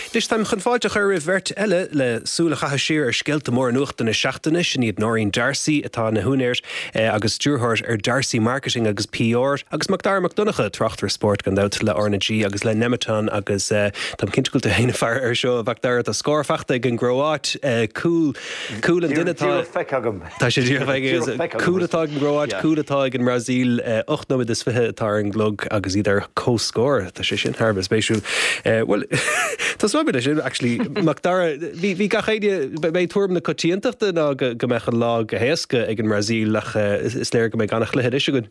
Anois táim chun fáilte a chur roimh bheirt eile le súil a chaitheamh siar ar scéalta móra nuachta na seachtaine. Sin iad Nóirín D'Arcy, atá ina húinéir agus stiúrthóir ar D'Arcy Marketing agus PR, agus Macdara Mac Donncha, tráchtaire spóirt gan dabht le RnaG agus le Nemeton agus táim cinnte go bhfuil tú féin ag faire air seo, a Mhacdara, tá scór faighte ag an gCróáit, cúl, cúl an duine atá. Díreach feicthe agam. Tá sé díreach feicthe agat. Cúl atá ag an gCróáit, cúl atá ag an mBrasaíl. 8 nóiméad is 20 atá ar an gclog agus iad ar comhscór. Tá sé sin thar a bheith spéisiúil. Bhuel, tosóidh mé leis sin, actually. Macdara, bhí bhí gach éinne, b'é tuairim na coitiantachta ná go go mbeadh an lá go héasca ag an mBrasaíl ach is léir go mbeidh an-chluiche anois againn.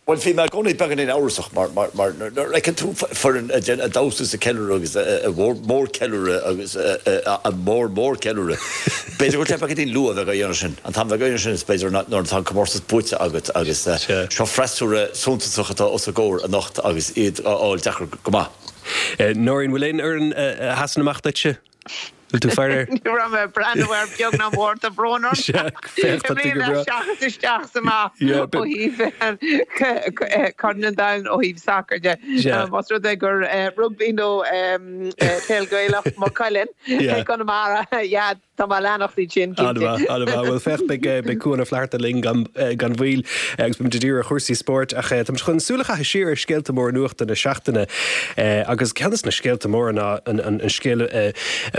Bhuel, bhí mé i gcónaí beagáinín amhrasach mar mar nuair a fheiceann tú foireann ag déanamh damhsa is ag ceiliúradh agus a mhór-cheiliúradh agus a mór-mhór-cheiliúradh, b'fhéidir go bhfuil sé beagáinín luath a bheith á dhéanamh sin. An t-am a bheith á dhéanamh sin is b'fhéidir nuair atá an comórtas buaite agat agus seo freasúra suntasach atá os a gcomhair anocht agus iad á fháil deacair go maith. Nóirín, bhfuil aon fhoireann a sheasann amach duitse? Bhfuil tú ag faire air? Ní raibh mé ag breathnú air beag ná mór, tá brón orm. Sea, féach, tá tú go breá. Seachas isteach is amach ó thaobh Corn an Domhain ó thaobh sacair de. Más rud é gur rugbaí nó peil Gaelach Maigh Cuilinn i gConamara, yeah, tá mé ag leanacht iad sin, cinnte. An-mhaith, an-mhaith. Bhuel, féach, beidh Cuan Ó Flatharta linn gan mhoill agus beimid ag díriú ar chúrsaí spóirt ach táimid chun súil a chaitheamh siar ar scéalta móra nuachta na seachtaine agus ceann de na scéalta móra ná an scéal a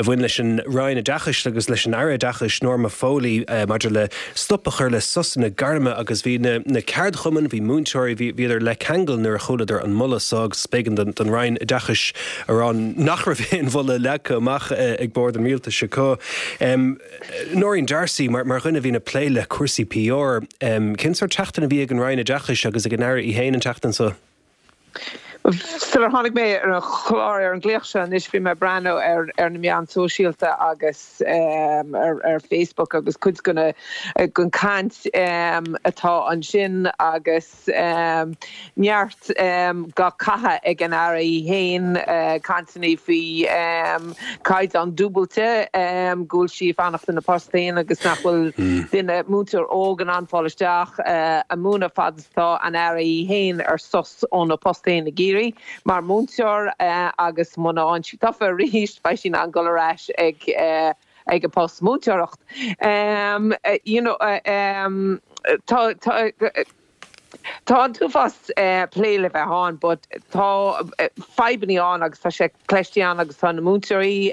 bhain leis an Roinn Oideachais agus leis an Aire Oideachais Norma Foley maidir le stop a chur le sosanna gairme agus bhí na ceardchumainn, bhí múinteoirí, bhíodar le ceangal nuair a chualadar an moladh so agus b'éigean don Roinn Oideachais a rá nach raibh aon mholadh leagtha amach ag bord an rialtais acu. Nóirín D'Arcy, mar dhuine a bhíonn ag plé le cúrsaí PR, cén sórt seachtain a bhí ag an Roinn Oideachais agus ag an Aire í féin an tseachtain so? Sular tháinig mé ar an chlár, ar an nglaoch seo anois, bhí mé ag breathnú ar ar na meáin sóisialta agus ar ar Facebook agus cuid den chaint atá ansin agus neart dhá caitheamh ag an Aire í féin, cainteanna faoi caighdeán dúbailte, go bhfuil sí ag fanacht ina post féin agus nach bhfuil duine, múinteoir óg in ann fáil isteach ag múineadh fad is atá an Aire í féin ar sos óna post féin i gCiarraí mar mhúinteoir agus muna fhaigheann sí tofa arís beidh sí in ann dul ar ais ag ag a post múinteoireacht. You know tá tá tá an t-uafás plé le bheith ann but tá fadhbanna ann agus tá sé cloiste ann agus tá na múinteoirí,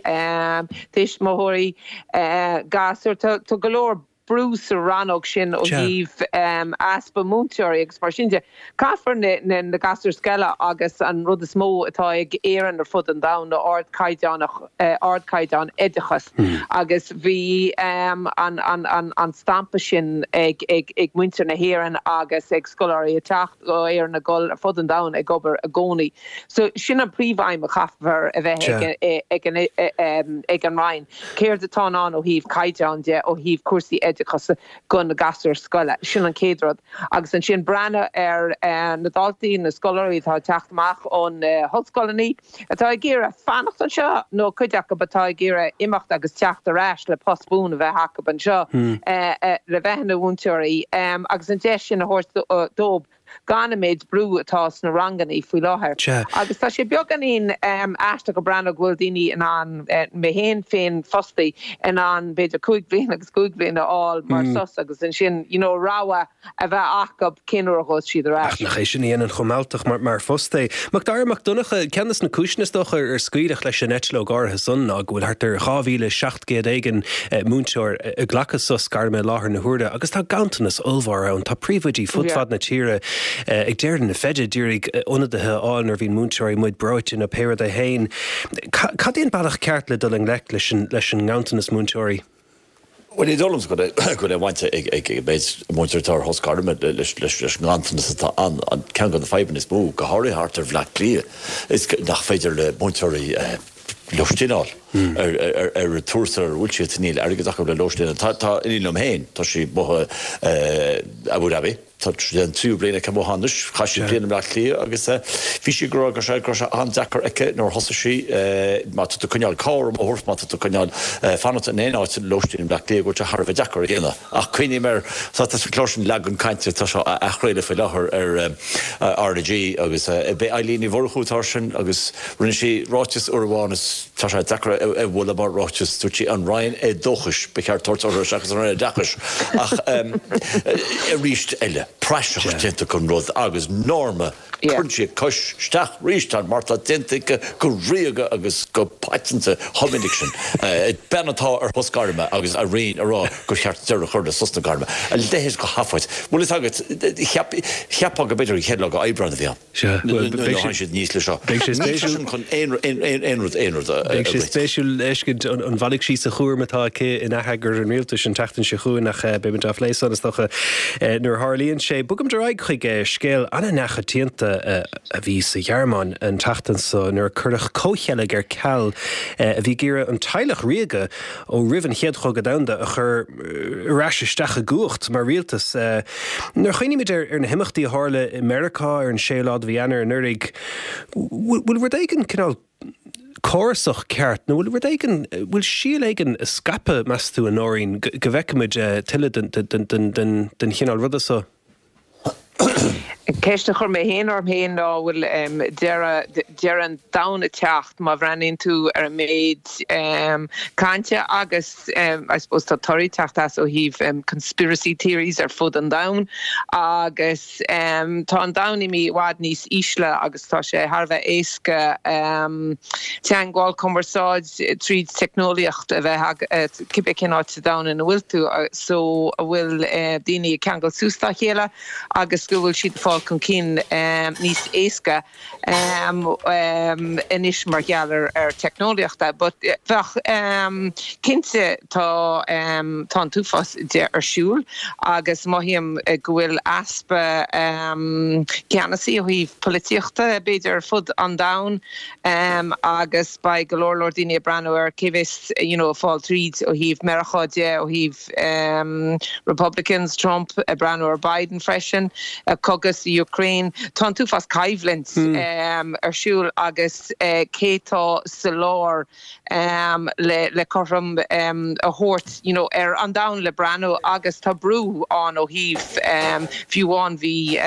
tuismitheoirí, gasúir, tá tá go leor brú sa rannóg sin ó thaobh easpa múinteoirí agus mar sin de. Caithfear na gasúir scoile agus an rud is mó atá ag Éirinn ar fud an domhain ná ardchaighdeán ardchaighdeán oideachas agus bhí an stampa sin ag muintir na hÉireann agus ag scoláirí ag teacht ó Éirinn ag dul ar fud an domhain ag obair i gcónaí. So sin an príomhaidhm a chaithfear a bheith ag an Roinn. Céard atá in ann ó thaobh caighdeán de, ó thaobh cúrsaí oideachais do na gasúir scoile? Sin an chéad rud. Agus ansin breathnú ar na daltaí, na scoláirí atá ag teacht amach ó na hollscoileanna, atá ag iarraidh fanacht anseo nó cuid acu atá ag iarraidh imeacht agus teacht ar ais le post buan a bheith acu anseo le bheith ina mhúinteoirí agus an deis sin a thabhairt dóibh. gan an méid brú atá sna ranganna faoi láthair. Agus tá sé beagáinín aisteach ag breathnú go bhfuil daoine in ann, mé féin féin fostaí, in ann b'fhéidir 5 bhliain agus 5 bhliain a fháil mar sos agus ansin you know rogha a bheith acu cén uair a ghabhfas siad ar ais. Ach nach é sin a dhéanann chomh mealltach mar phost é. Macdara Mac Donncha, ceann de na cúiseanna is dócha ar scaoileadh leis an eitleog áirithe san ná go bhfuil thart ar 2,700 éigin múinteoir ag glacadh sos gairme i láthair na huaire agus tá ganntanas ollmhór ann. Tá príomhoidí fud fad na tíre ag deireadh na feide d'iarraidh ionadaithe a fháil nuair a bhíonn múinteoirí amuigh breoite nó pé rud é féin. Cad é an bealach ceart le dul i ngleic leis an nganntanas múinteoirí? Bhuel, ní dóigh liomsa go bhfuil aon bhaint ag an méid múinteoirí atá ar shos gairme leis an nganntanas atá ann. Ceann de na fadhbanna is mó, go háirithe thart ar Bhleá Cliath, is nach féidir le múinteoirí lóistín a fháil. Ar an tuarastal ar a bhfuil siad, níl airgead acu le lóistín. Tá iníon liom féin, tá sí amuigh i Abu Dhabi, tá sé an tríú bliain aici amuigh anois, chaith sí bliain i mBleá Cliath agus bhí sí ag rá go raibh sé an-deacair aici nuair a thosaigh sí, má tá tú ag coinneáil carr amuigh a thabhairt, má tá tú ag coinneáil fanacht in aon áit lóistín i mBleá Cliath, go bhfuil sé thar a bheith deacair a dhéanamh. Ach cuimhním ar, tá sa chlár sin Leagan Cainte, tá sé á athchraoladh faoi láthair ar RnaG agus b'é Eilín Ní Mhurchú atá air sin agus rinne sí ráiteas uair amháin is tá sé deacair a mholadh mar ráiteas, dúirt sí an Roinn Éadóchais ba cheart tabhairt orthu seachas an Roinn Oideachais ach arís eile, praiseach déanta den rud agus Norma Cuireann sí a cois isteach arís ann mar tá déanta aici go ríoga agus go paiteanta chomh minic sin. Bean atá ar shos gairme agus a Roinn ag rá gur cheart deireadh a chur le sos na gairme. A leithéid de sheafóid. Bhfuil fhios agat, cheapfá go b'fhéidir an chéad lá de Aibreán a bhí ann. Sea, bhuel, beidh sé. Tháinig siad aníos leis seo. Beidh sé spéisiúil. Níl sé sin chun aon rud, aon rud a Beidh sé spéisiúil a fheiscint an bhfanfaidh sí sa chúram atá aici in atheagar an rialtais an tseachtain seo chugainn ach beimid á phlé san is dócha nuair a tharlaíonn sé. Bogaimid ar aghaidh chuig scéal an-neachoitianta a bhí sa Ghearmáin an tseachtain seo nuair a cuireadh comhcheilg ar ceal a bhí ag iarraidh an teaghlach ríoga ó roimh an Chéad Chogadh Domhanda a chur ar ais isteach i gcumhacht mar rialtas. Nuair a chuimhnímid ar na himeachtaí a tharla i Meiriceá ar an séú lá de mhí Eanáir anuraidh, bhfuil rud éigin cineál córasach ceart nó bhfuil rud éigin, bhfuil síol éigin ag scaipeadh, meas tú, a Nóirín, go bhfeicfimid tuilleadh den chineál ruda so? Ceist a chuir mé féin orm féin ná bhfuil deireadh deireadh an domhain ag teacht má bhreathnaíonn tú ar an méid cainte agus I suppose tá torthaí ag teacht as ó thaobh conspiracy theories ar fud an domhain agus tá an domhan imithe i bhfad níos ísle agus tá sé thar a bheith éasca teagmháil, cumarsáid tríd teicneolaíocht a bheith agat cibé cén áit sa domhan ina bhfuil tú so a bhfuil daoine ag ceangal suas dá chéile agus go bhfuil siad ag fáil chun cinn níos éasca anois mar gheall ar teicneolaíochta. But bheadh cinnte tá tá an t-uafás de ar siúl agus mothaím go bhfuil easpa ceannasaí ó thaobh polaitíochta b'fhéidir ar fud an domhain. Agus beidh go leor leor daoine ag breathnú ar cé bheas you know ag fáil tríd ó thaobh Meiriceá de, ó thaobh Republicans, Trump, ag breathnú ar Biden freisin, cogadh sa Ukraine. Tá an t-uafás coimhlint ar siúl agus cé tá sa lár le cothrom a thabhairt you know ar an domhan le breathnú agus tá brú ann ó thaobh fiú amháin bhí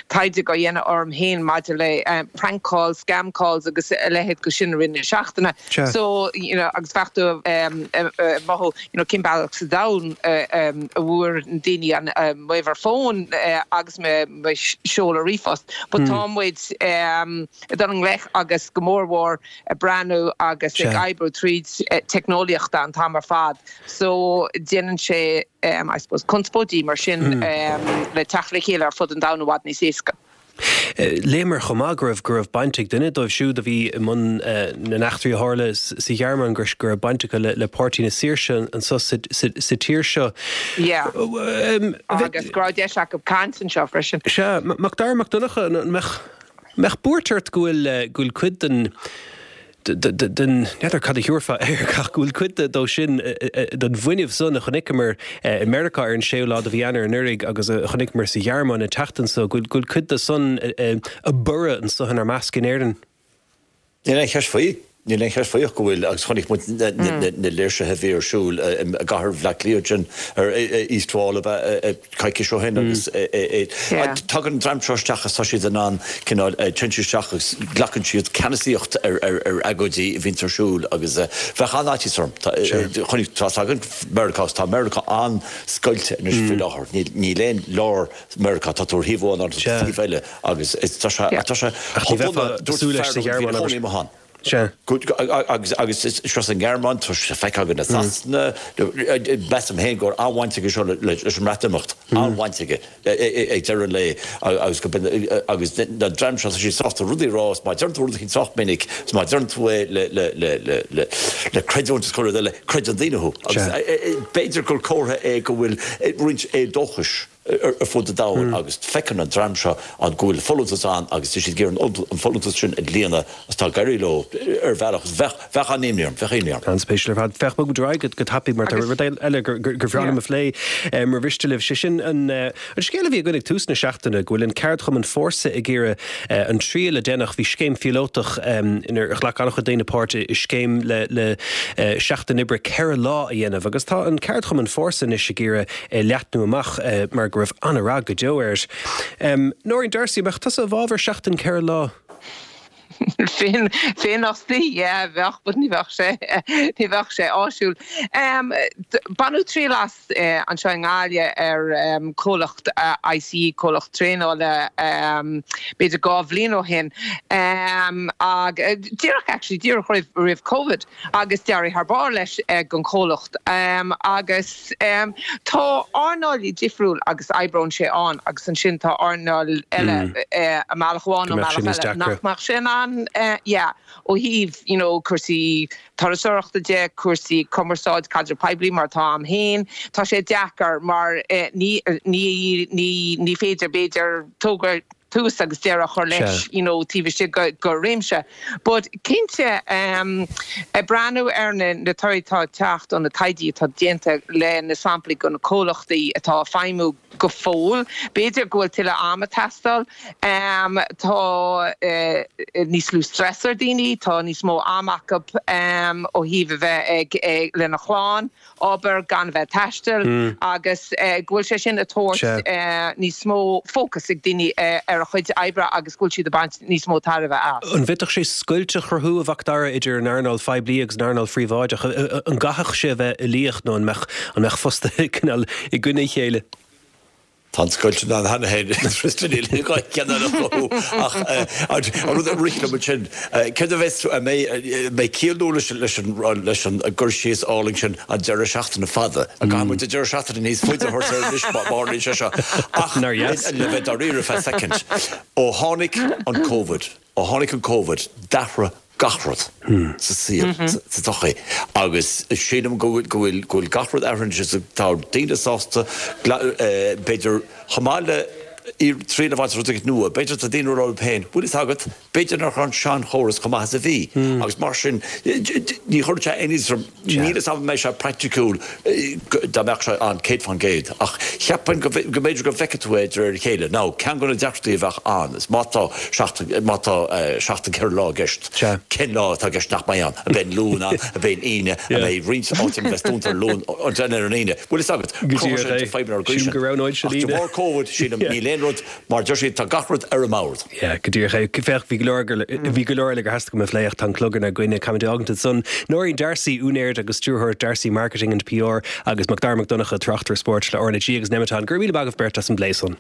taighde á dhéanamh orm féin maidir le prank calls, scam calls agus a leithéid de sin i rith na seachtaine. So you know agus bheadh tú ag mothú you know cén bealach sa domhan a bhfuair na daoine an m'uimhir fóin agus mo sheoladh ríomhphost. But tá muid ag dul i ngleic agus go mór mhór ag breathnú agus ag oibriú tríd teicneolaíochta an t-am ar fad so déanann sé I suppose conspóidí mar sin le teacht le chéile ar fud an domhain i bhfad níos éasca. Léamar chomh maith go raibh go raibh baint ag duine dóibh siúd a bhí i mbun na n-eachtraí a tharla sa Ghearmáin go raibh baint acu le Páirtí na Saoirse anseo sa tír seo. Yeah. Agus go raibh deis acu caint anseo freisin. Sea. Macdara Mac Donncha, an mbeadh mbeadh buairt ort go bhfuil, go bhfuil cuid den, den, n'fheadar cad a thabharfá air, ach go bhfuil cuid dó sin, den bhfuinneamh san a chonaiceamar i Meiriceá ar an séú lá de mhí Eanáir anuraidh agus a chonaiceamar sa Ghearmáin an tseachtain seo, go bhfuil cuid de san ag borradh anso inár measc in Éirinn? Níl aon cheist faoi. Níl aon cheist faoi ach go bhfuil, agus chonaic muid na léirsithe a bhí ar siúl i gcathair Bhaile Átha Cliath ansin ar East Wall ab ea coicís ó shin agus tagann an dream seo isteach agus tá siad in ann cineál téann siad isteach agus glacann siad ceannasaíocht ar agóidí a bhíonns ar siúl agus bheadh an-fhaitíos orm. Chonaic, tá a fhios againn Meiriceá agus tá Meiriceá an-scoilte anois faoi láthair. Níl aon lár Meiriceá, tá tú ar thaobh amháin agus ar thaobh eile agus tá sé, tá sé Ach ní bheifeá ag súil leis sa Ghearmáin, abair. Sea. Agus agus seo sa nGearmáin, tá sé feicthe againn i Sasana, measaim féin go bhfuil an-bhaint aige seo leis an mBreatimeacht, an-bhaint aige ag deireadh an lae agus go agus na dream seo, tá siad sásta rudaí a rá is má deireann tú rud éicint sách minic is má deireann tú é le le le le le le creidiúint is chuile rud eile, creideann daoine thú. Agus b'fhéidir gur comhartha é go bhfuil roinnt éadóchais. Ar fud an domhain agus feiceann an dream seo an go bhfuil folúntas ann agus tá siad ag iarraidh an folúntas sin a líonadh agus tá ag éirí leo ar bhealach. Bheadh, bheadh an-imní orm, bheadh imní orm. An-spéisiúil ar fad. Féach, bogfaidh muid ar aghaidh go tapaidh mar tá rud eile gur bhreá liom a phlé mura mhiste libh, sé sin an scéal a bhí againn ag tús na seachtaine go bhfuil an ceardchumann Fórsa ag iarraidh an triail a deineadh, bhí scéim phíolótach inar ghlac an-chuid daoine páirt i scéim le seachtain oibre 4 lá a dhéanamh agus tá an ceardchumann Fórsa anois ag iarraidh é leathnú amach mar go raibh an-rath go deo air. Nóirín D'Arcy, an mbeadh tusa i bhfabhar seachtain 4 lá? Féinfhostaí, yeah, bheadh, but ní bheadh sé, ní bheadh sé áisiúil. Baineadh triail as anseo i nGaillimh ar comhlacht ICE, comhlacht traenála, b'fhéidir 2 bhliain ó shin, ag, díreach actually, díreach roimh, roimh Covid. agus d'éirigh thar barr leis don chomhlacht agus tá earnáil difriúil agus oibreoidh sé ann agus ansin tá earnáil eile i mbealach amháin nó bealach eile nach mbeadh sé in ann yeah ó thaobh you know cúrsaí turasóireachta de, cúrsaí cumarsáid, caidreamh poiblí mar atá a'm féin, tá sé deacair mar ní ní ní ní féidir b'fhéidir togra tús agus deireadh a chur leis you know taobh istigh de réimse. But cinnte ag breathnú ar na na torthaí atá ag teacht ó na taighde atá déanta le na samplaí de na comhlachtaí atá ag feidhmiú go fóill, b'fhéidir go bhfuil tuilleadh ama ag teastáil. Tá níos lú stress ar daoine, tá níos mó ama acu ó thaobh a bheith ag lena chlann. obair, gan a bheith ag taisteal agus go bhfuil sé sin ag tabhairt níos mó fócas ag daoine ar a chuid oibre agus go bhfuil siad ag baint níos mó tairbhe as. An bhféadfadh sé scoilt a chruthú, a Mhacdara, idir an earnáil phoiblí agus an earnáil phríobháideach? An gcaithfeadh sé a bheith uilíoch nó an mbeadh an mbeadh fostaithe cineál i gcoinne a chéile? Tá an scoilt ann cheana féin, Tristan, níl gá ceann eile a chruthú. Ach an rud a rith liom ansin, céard a bheas, an mbeidh ciall nua leis an gcur síos álainn sin, an deireadh seachtaine fada? An gcaithfidh muid an deireadh seachtaine níos faide a thabhairt air anois má tharlaíonn sé seo? Ach le bheith dáiríre feadh soicind, ó tháinig an Covid, ó tháinig an Covid, d'athraigh gach rud sa saol, sa tsochaí agus sílim go bhfuil go bhfuil gach rud athraithe anois agus tá daoine sásta b'fhéidir chomh maith le triail a bhaint as rud éigin nua, b'fhéidir tá daoine ag rá leo féin, bhfuil fhios agat, b'fhéidir nach raibh an seanchóras chomh maith is a bhí agus mar sin ní chuireann sé aon iontas orm. Níl fhios agam an mbeidh sé praiticiúil dá mbeadh sé ann 100% ach cheapfainn go mb'fhéidir go bhfeicfidh tú é de réir a chéile. Now, ceann de na deacrachtaí a bheadh ann is má tá seachtain, má tá seachtain 4 lá i gceist, cén lá atá i gceist nach mbeidh ann? An mbeidh an Luan ann? An mbeidh an Aoine? An mbeidh roinnt áiteanna a bheas dúnta ar Luan, ar an Aoine? Bhfuil fhios agat, cruthaíonn sé fadhbanna ar an gcaoi sin. Ach de bharr Covid, sílim, níl aon rud, mar a deir siad, tá gach rud ar an mbord. Yeah, go díreach é. Féach, bhí go leor, bhí go leor eile gur theastaigh uaim a phlé ach tá an clog inár gcoinne. Caithfimid é a fhágaint ansan. Nóirín D'Arcy, úinéir agus stiúrthóir D'Arcy Marketing and PR agus Macdara Mac Donncha, tráchtaire spóirt le RnaG agus Nemeton. Go raibh míle maith agaibh beirt as an bplé san.